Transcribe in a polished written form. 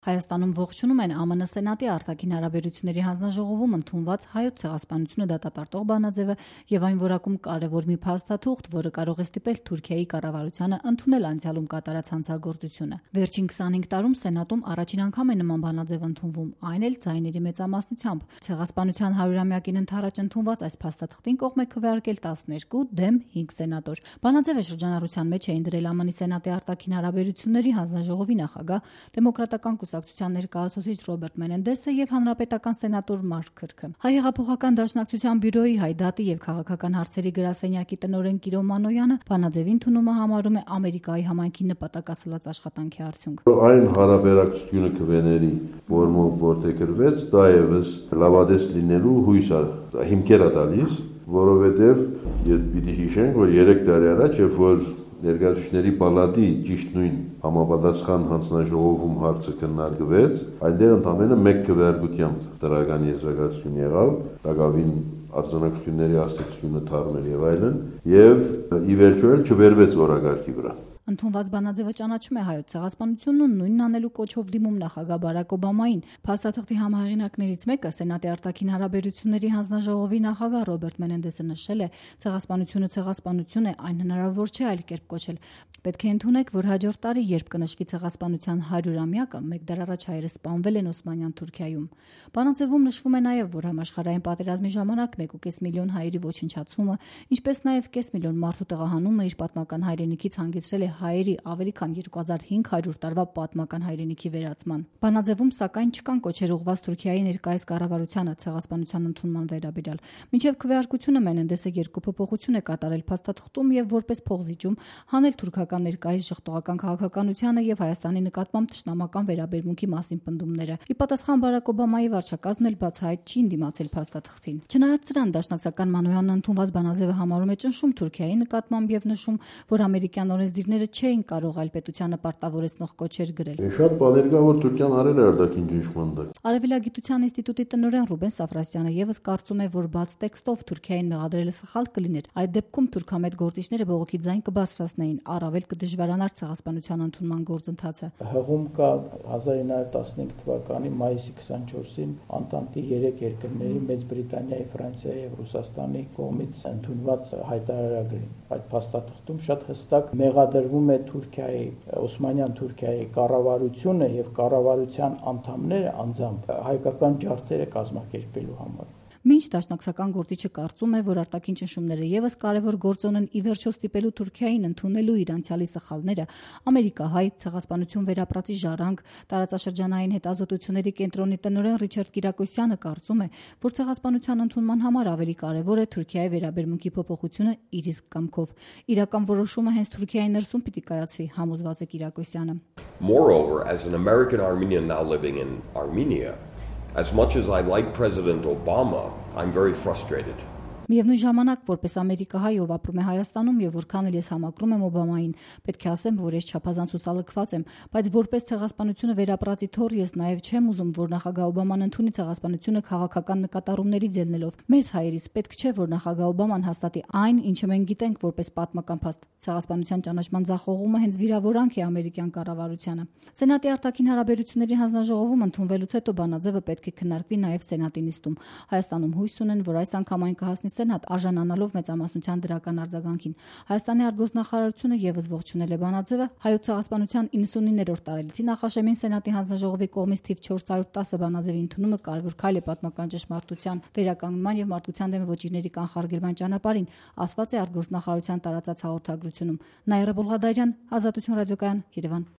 Հայաստանում ողջունում են ԱՄՆ Սենատի արտաքին հարաբերությունների հանձնաժողովում ընդունված հայոց ցեղասպանությունը դատապարտող բանաձևը եւ այն որակում կարեւոր մի փաստաթուղթ, որը կարող է ստիպել Թուրքիայի կառավարությանը ընդունել անցյալում կատարած հանցագործությունը։ Վերջին 25 տարում Սենատում առաջին անգամ է նման բանաձև ընդունվում, այն էլ ձայների մեծամասնությամբ։ Ցեղասպանության 100-ամյակին ընդառաջ ընդունված այս փաստաթղթին կողմ է քվեարկել 12 դեմ 5 սենատոր։ Բանաձևը շրջանառության մեջ էին դրել ԱՄՆ Սենատի արտաքին հարաբերությունների հանձնաժողովի նախագահ դեմոկրատական կուսակցության ներկայացուցիչ Ռոբերտ Մենենդեսը եւ հանրապետական սենատոր Մարկ Քրքը։ Հայ հեղափոխական դաշնակցության բյուրոյի հայդատի եւ քաղաքական հարցերի գրասենյակի տնօրեն Կիրո Մանոյանը բանաձևի ընդունումը համարում է Ամերիկայի համայնքի նպատակասլաց աշխատանքի արդյունք։ Այն հարաբերակցությունը քվեների որմով որտեղ գրվեց, դա եւս լավադես լինելու հույս հիմքեր է տալիս, որովհետեւ պիտի հիշենք, որ 3 տարի առաջ, երբ որ Ներկայացուցիչների պալատի ճիշտ նույն համապատասխան հանձնաժողովում հարցը քննարկվեց, այնտեղ ընդամենը 1 քվեարկությամբ դրական եզրակացություն եղավ, դակավին արձանագրությունների աստեցությունը թարմել եւ այլն, եւ ի վերջո էլ չվերվեց օրակարգի վրա։ Ընդունված բանաձևը ճանաչում է հայոց ցեղասպանությունն ու նույնն անելու կոչով դիմում նախագահ Բարակ Օբամային։ Փաստաթղթի համահեղինակներից մեկը Սենատի արտաքին հարաբերությունների հանձնաժողովի նախագահ Ռոբերտ Մենենդեսը նշել է, ցեղասպանությունը ցեղասպանություն է, այն հնարավոր չէ այլ կերպ կոչել։ Պետք է ընդունեք, որ հաջորդ տարի, երբ կնշվի ցեղասպանության 100-ամյակը, 1 դար առաջ հայերը սպանվել են Օսմանյան Թուրքիայում։ Բանաձևում նշվում է նաև, որ համաշխարհային պատերազմի ժամանակ 1.5 միլիոն հայերի ոչնչացումը, ինչպես նաև 500 միլիոն մարդու տեղահանումը իր պատմական հայրենիքից հանգեցրել է հայերի ավելի քան 2500 տարվա պատմական հայրենիքի վերացման։ Բանաձևում սակայն չկան կոչեր ուղղված Թուրքիայի ներկայիս կառավարությանը ցեղասպանության ընդունման վերաբերյալ։ Մինչև քվեարկությունը Մենենդեսը 2 փոփոխություն է կատարել փաստաթղթում եւ որպես փոխզիջում հանել թուրքական ներկայիս ժխտողական քաղաքականությանը եւ Հայաստանի նկատմամբ թշնամական վերաբերմունքի մասին պնդումները։ Ի պատասխան Բարակ Օբամայի վարչակազմն էլ բացահայտ չի դիմացել փաստաթղթին։ Չնայած սրան, դաշնակցական Մանոյանն ընդունված բանաձևը համարում է ճնշում Թուրքիայի նկատմամբ եւ նշում, որ ամերիկյան օրենսդիրները չէին կարող այլ պետությանը պարտավորեցնող կոչեր գրել։ Շատ բաներ կա, որ Թուրքիան արել է արտաքին ճնշման տակ։ Արևելագիտության ինստիտուտի տնօրեն Ռուբեն Սաֆրասյանը եւս կարծում է, որ բաց տեքստով Թուրքիային մեղադրելը սխալ կլիներ։ Այդ դեպքում թուրքամետ գործիչները բողոքի ձայն կբարձրացնեին, առավել կդժվարանար ցեղասպանության ընդունման գործընթացը։ Հղում կա 1915 թվականի մայիսի 24-ին Անտանտի 3 երկրների Մեծ Բրիտանիայի, Ֆրանսիայի եւ Ռուսաստանի կողմից ընդունված հայտարարագրին։ Այդ փաստաթղթում շատ հստակ մեղադրվում է Թուրքիայի, Օսմանյան Թուրքիայի կառավարությունը եւ կառավարության անդամները անձամբ հայկական ջարդերը կազմակերպելու համար։ Մինչ դաշնակցական գործիչը կարծում է, որ արտաքին ճնշումները եւս կարևոր գործոն են ի վերջո ստիպելու Թուրքիային ընդունելու իր անցյալի սխալները, ամերիկահայ ցեղասպանություն վերապրածի ժառանգ տարածաշրջանային հետազոտությունների կենտրոնի տնօրեն Ռիչարդ Կիրակոսյանը կարծում է, որ ցեղասպանության ընդունման համար ավելի կարևոր է Թուրքիայի վերաբերմունքի փոփոխությունը իր իսկ կամքով։ Իրական որոշումը հենց Թուրքիայի ներսում պիտի կայացվի, համոզված է Կիրակոսյանը։ Moreover, as an American Armenian now living in Armenia, as much as I like President Obama, I'm very frustrated. Միևնույն ժամանակ, որպես ամերիկահայ, ով ապրում է Հայաստանում եւ որքան էլ ես համակրում եմ Օբամային, պետք է ասեմ, որ ես չափազանց հուսալքված եմ, բայց որպես ցեղասպանությունը վերապրածի թոռ ես նաեւ չեմ ուզում, որ նախագահ Օբաման ընդունի ցեղասպանությունը քաղաքական նկատառումներից ելնելով։ Մեզ հայերից պետք չէ, որ նախագահ Օբաման հաստատի այն, ինչը մենք գիտենք որպես պատմական փաստ։ Ցեղասպանության ճանաչման ձախողումը հենց վիրավորանք է ամերիկյան կառավարությանը։ Սենատի արտաքին հարաբերությունների հանձնաժողովում ընդունվելուց հետո բանաձևը պետք է քննարկվի նաեւ Սենատի նիստում։ Հայաստանում հույս ունեն, որ այս անգամ այն կհասնի Սենատ արժանանալով մեծամասնության դրական արձագանքին։ Հայաստանի արտգործնախարարությունը եւս ողջունել է բանաձևը։ Հայոց ցեղասպանության 99-րդ տարելիցի նախաշեմին Սենատի հանձնաժողովի կողմից թիվ 410 բանաձևի ընդունումը կարևոր քայլ է պատմական ճշմարտության վերականգնման եւ մարդկության դեմ ոճիրների կանխարգելման ճանապարհին, ասված է արտգործնախարարության տարածած հաղորդագրությունում։ Նաիրա Բոլղադարյան, Ազատություն ռադիոկայան, Երևան։